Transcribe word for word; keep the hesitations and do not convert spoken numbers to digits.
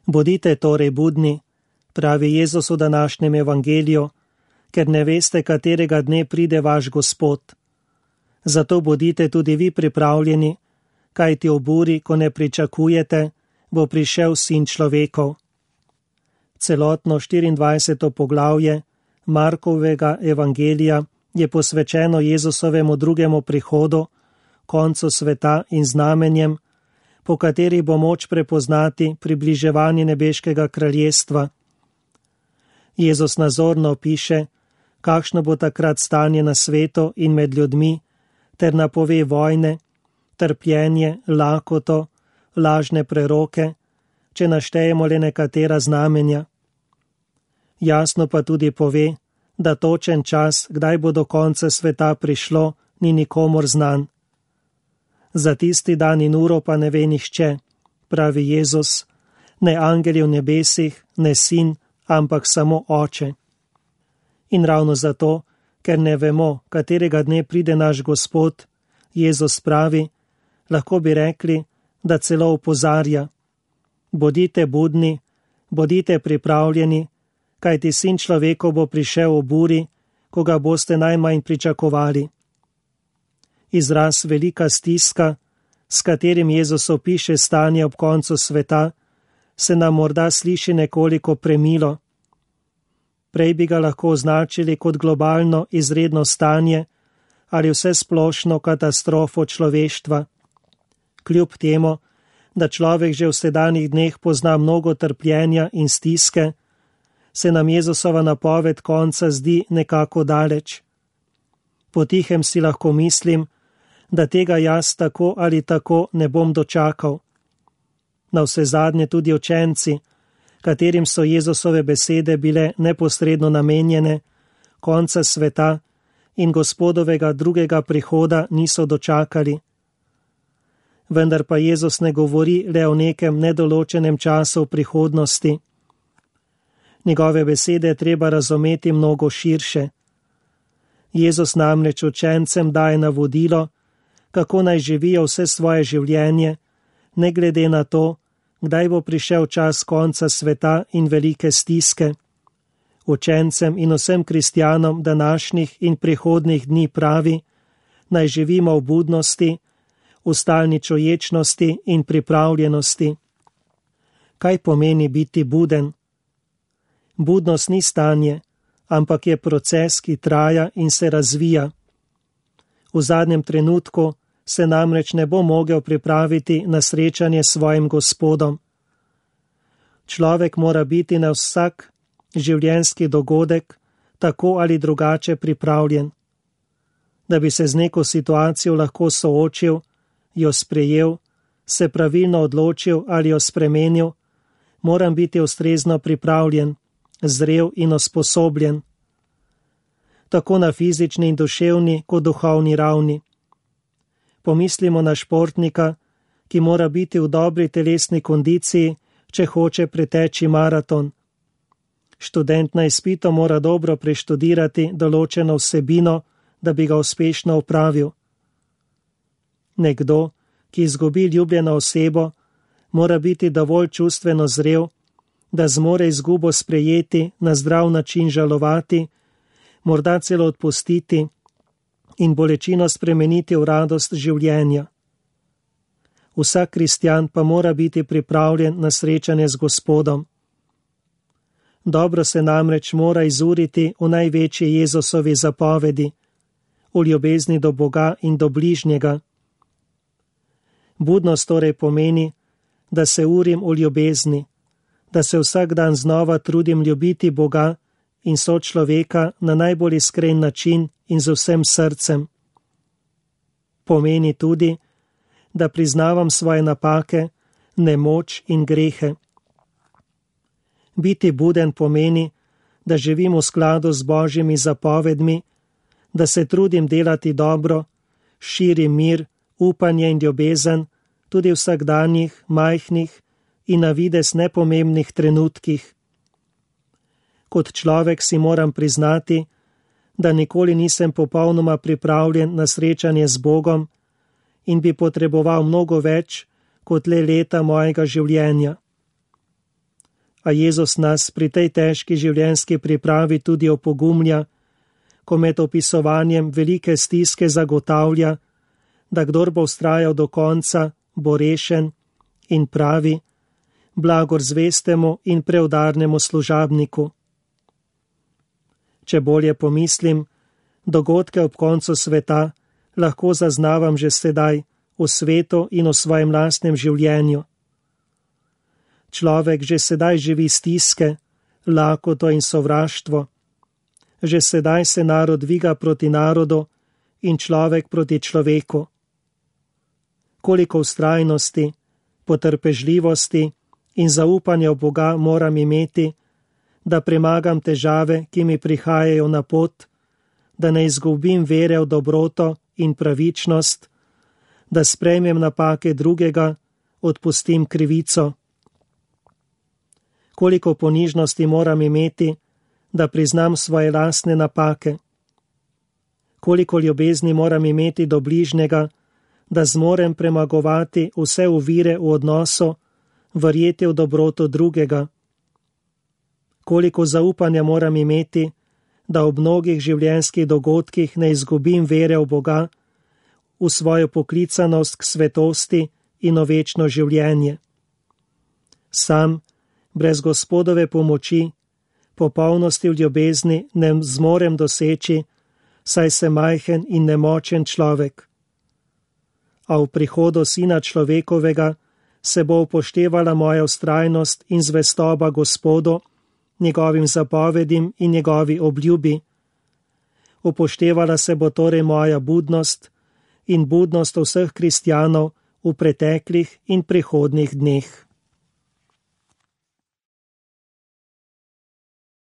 Bodite torej budni, pravi Jezus v današnjem evangeliju, ker ne veste, katerega dne pride vaš Gospod. Zato bodite tudi vi pripravljeni, kajti ob uri, ko ne pričakujete, bo prišel Sin človekov. Celotno štiriindvajseto poglavje Markovega evangelija je posvečeno Jezusovemu drugemu prihodu, koncu sveta in znamenjem, po katerih bo moč prepoznati približevanje nebeškega kraljestva. Jezus nazorno piše, kakšno bo takrat stanje na svetu in med ljudmi, ter napove vojne, trpljenje, lakoto, lažne preroke, če naštejemo le nekatera znamenja. Jasno pa tudi pove, da točen čas, kdaj bo do konca sveta prišlo, ni nikomur znan. Za tisti dan in uro pa ne ve nihče, pravi Jezus, ne angeli v nebesih, ne sin, ampak samo Oče. In ravno zato, ker ne vemo, katerega dne pride naš Gospod, Jezus pravi, lahko bi rekli, da celo opozarja. Bodite budni, bodite pripravljeni, kajti Sin človekov bo prišel ob uri, ko ga boste najmanj pričakovali. Izraz velika stiska, s katerim Jezus opiše stanje ob koncu sveta, se nam morda sliši nekoliko premilo. Prej bi ga lahko označili kot globalno izredno stanje ali vsesplošno katastrofo človeštva. Kljub temu, da človek že v sedanjih dneh pozna mnogo trpljenja in stiske, se nam Jezusova napoved konca zdi nekako daleč. Potihem si lahko mislim, da tega jaz tako ali tako ne bom dočakal. Navsezadnje tudi učenci, katerim so Jezusove besede bile neposredno namenjene, konca sveta in Gospodovega drugega prihoda niso dočakali. Vendar pa Jezus ne govori le o nekem nedoločenem času v prihodnosti. Njegove besede je treba razumeti mnogo širše. Jezus namreč učencem daje navodilo, kako naj živijo vse svoje življenje, ne glede na to, kdaj bo prišel čas konca sveta in velike stiske. Učencem in vsem kristjanom današnjih in prihodnih dni pravi, naj živimo v budnosti, v stalni čuječnosti in pripravljenosti. Kaj pomeni biti buden? Budnost ni stanje, ampak je proces, ki traja in se razvija. V zadnjem trenutku se namreč ne bo mogel pripraviti na srečanje s svojim Gospodom. Človek mora biti na vsak življenjski dogodek tako ali drugače pripravljen. Da bi se z neko situacijo lahko soočil, jo sprejel, se pravilno odločil ali jo spremenil, moram biti ustrezno pripravljen, zrel in usposobljen. Tako na fizični in duševni kot duhovni ravni. Pomislimo na športnika, ki mora biti v dobri telesni kondiciji, če hoče preteči maraton. Študent na izpitu mora dobro preštudirati določeno vsebino, da bi ga uspešno opravil. Nekdo, ki izgubi ljubljeno osebo, mora biti dovolj čustveno zrel, da zmore izgubo sprejeti, na zdrav način žalovati, morda celo odpustiti in bolečino spremeniti v radost življenja. Vsak kristjan pa mora biti pripravljen na srečanje z Gospodom. Dobro se namreč mora izuriti v največji Jezusovi zapovedi, v ljubezni do Boga in do bližnjega. Budnost torej pomeni, da se urim v ljubezni, da se vsak dan znova trudim ljubiti Boga in sočloveka na najbolj iskren način in z vsem srcem. Pomeni tudi, da priznavam svoje napake, nemoč in grehe. Biti buden pomeni, da živim v skladu z Božjimi zapovedmi, da se trudim delati dobro, širim mir, upanje in ljubezen tudi v vsakdanjih, majhnih in na videz nepomembnih trenutkih. Kot človek si moram priznati, da nikoli nisem popolnoma pripravljen na srečanje z Bogom in bi potreboval mnogo več kot le leta mojega življenja. A Jezus nas pri tej težki življenjski pripravi tudi opogumlja, ko med opisovanjem velike stiske zagotavlja, da kdor bo vztrajal do konca, bo rešen, in pravi: blagor zvestemu in preudarnemu služabniku. Če bolje pomislim, dogodke ob koncu sveta lahko zaznavam že sedaj v svetu in v svojem lastnem življenju. Človek že sedaj živi stiske, lakoto in sovraštvo. Že sedaj se narod dviga proti narodu in človek proti človeku. Koliko vztrajnosti, potrpežljivosti in zaupanja v Boga moram imeti, da premagam težave, ki mi prihajajo na pot, da ne izgubim vere v dobroto in pravičnost, da sprejmem napake drugega, odpustim krivico. Koliko ponižnosti moram imeti, da priznam svoje lastne napake. Koliko ljubezni moram imeti do bližnjega, da zmorem premagovati vse ovire v odnosu, verjeti v dobroto drugega. Koliko zaupanja moram imeti, da ob mnogih življenjskih dogodkih ne izgubim vere v Boga, v svojo poklicanost k svetosti in v večno življenje. Sam, brez Gospodove pomoči, popolnosti v ljubezni ne zmorem doseči, saj sem majhen in nemočen človek. A v prihodu Sina človekovega se bo upoštevala moja vztrajnost in zvestoba Gospodu, njegovim zapovedim in njegovi obljubi. Upoštevala se bo torej moja budnost in budnost vseh kristjanov v preteklih in prihodnjih dneh.